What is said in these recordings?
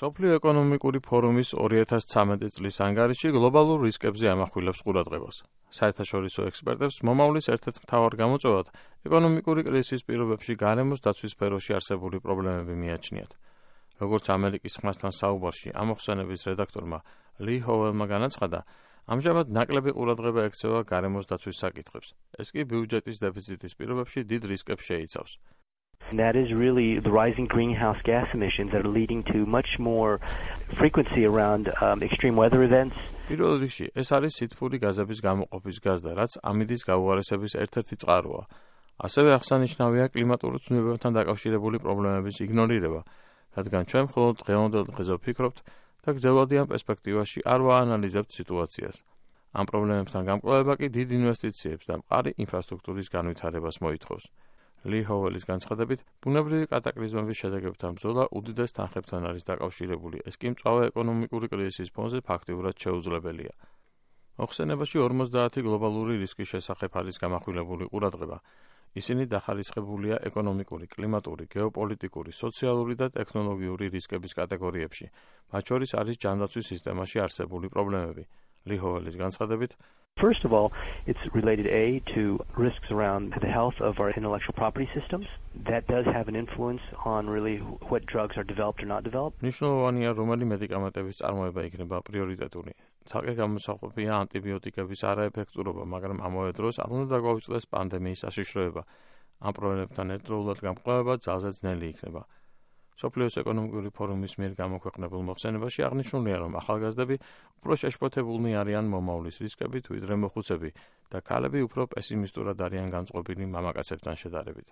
მსოფლიო ეკონომიკური ფორუმის 2013 წლის ანგარიში გლობალურ რისკებზე ამახვილებს ყურადღებას. საერთაშორისო ექსპერტებს მომავლის ერთ-ერთ მთავარ გამოწვევად ეკონომიკური კრიზისის პირობებში გარემოს დაცვის სფეროში არსებული პრობლემები მიაჩნიათ. როგორც ამერიკის ხმასთან საუბარში ამოხსენების რედაქტორმა ლი ჰოველმა განაცხადა, ამჟამად ნაკლები ყურადღება ექცევა გარემოს დაცვის საკითხებს. ეს კი ბიუჯეტის დეფიციტის პირობებში დიდ რისკებს შეიცავს. And that is really the rising greenhouse gas emissions that are leading to much more frequency around extreme weather events. პირველ რიგში, ეს არის სითბური გაზების გამოყოფის გაზდა, რაც ამიდის გაუარესების ერთ-ერთი წყაროა. ასევე აღსანიშნავია კლიმატური ცვლილებებთან დაკავშირებული პრობლემების იგნორირება, რადგან ჩვენ მხოლოდ დღევანდელ დღეზე ვფიქრობთ და გრძელვადიან პერსპექტივაში არ ვაანალიზებთ სიტუაციას. ამ პრობლემებთან გამკვლევება კი დიდ ინვესტიციებს და მყარი ინფრასტრუქტურის განვითარებას მოითხოვს. ლი ჰოველის განცხადებით, ბუნებრივი კატაკლიზმების შედეგებთან ბრძოლა უდიდეს თანხებთან არის დაკავშირებული, ეს კი მწვავე ეკონომიკური კრიზისის ფონზე ფაქტიურად შეუძლებელია. მოხსენებაში 50 გლობალური რისკის შესახებ არის გამახვილებული ყურადღება. ისინი დახარისხებულია ეკონომიკური, კლიმატური, გეოპოლიტიკური, სოციალური და ტექნოლოგიური რისკების კატეგორიებში. მათ შორის არის ჯანდაცვის სისტემაში არსებული პრობლემები. ლი ჰოველის განცხადებით, First of all, it's related to risks around the health of our intellectual property systems. That does have an influence on really what drugs are developed or not developed. მნიშვნელოვანია, რომელი მედიკამენტების წარმოება იქნება პრიორიტეტული. ცალკე გამოსაყოფია ანტიბიოტიკების არაეფექტურობა, მაგრამ ამავე დროს არ უნდა დაგვაუწყდეს პანდემიის საშიშროება. ამ პრობლემებთან ერთდროულად გამკვლევება ძალზე ძნელი იქნება. მსოფლიოს ეკონომიკური ფორუმის მიერ გამოქვეყნებულ მოხსენებაში აღნიშნულია, რომ ახალგაზრდები უფრო შეშფოთებულნი არიან მომავლის რისკებით, ვიდრე მოხუცები და ქალები უფრო პესიმისტურად არიან განწყობილი მამაკაცებთან შედარებით.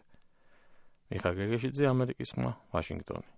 მიხა გეგეშიძე, ამერიკის ხმა, ვაშინგტონი.